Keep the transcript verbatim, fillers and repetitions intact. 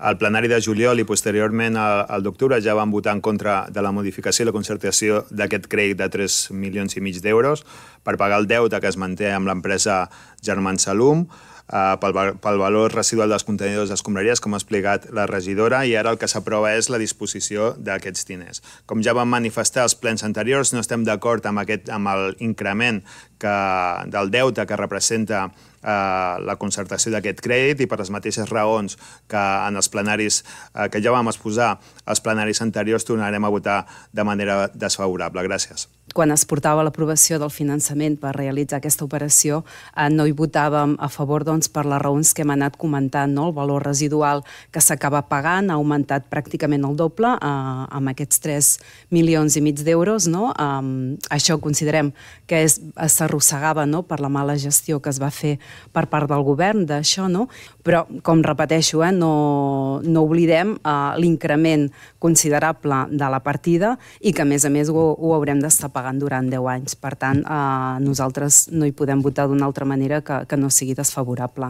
al plenari de juliol i posteriorment al d'octubre ja van votar en contra de la modificació i la concertació d'aquest crèdit de tres milions i mig d'euros per pagar el deute que es manté amb l'empresa Germans Salum, pel, pel valor residual dels contenidors d'escombraries, com ha explicat la regidora, i ara el que s'aprova és la disposició d'aquests diners. Com ja vam manifestar als plens anteriors, no estem d'acord amb, aquest, amb l'increment del deute que representa eh, la concertació d'aquest crèdit i per les mateixes raons que en els plenaris eh, que ja vam exposar als plenaris anteriors tornarem a votar de manera desfavorable. Gràcies. Quan es portava l'aprovació del finançament per realitzar aquesta operació, eh, no hi votàvem a favor doncs, per les raons que hem anat comentant. No? El valor residual que s'acaba pagant ha augmentat pràcticament el doble eh, amb aquests tres milions i mig d'euros. No? Eh, això considerem que és, s'arrossegava no? per la mala gestió que es va fer per part del govern d'això, no? Però, com repeteixo, eh, no, no oblidem eh, l'increment considerable de la partida i que, a més a més, ho, ho haurem d'estar pagant durant deu anys. Per tant, eh, nosaltres no hi podem votar d'una altra manera que, que no sigui desfavorable.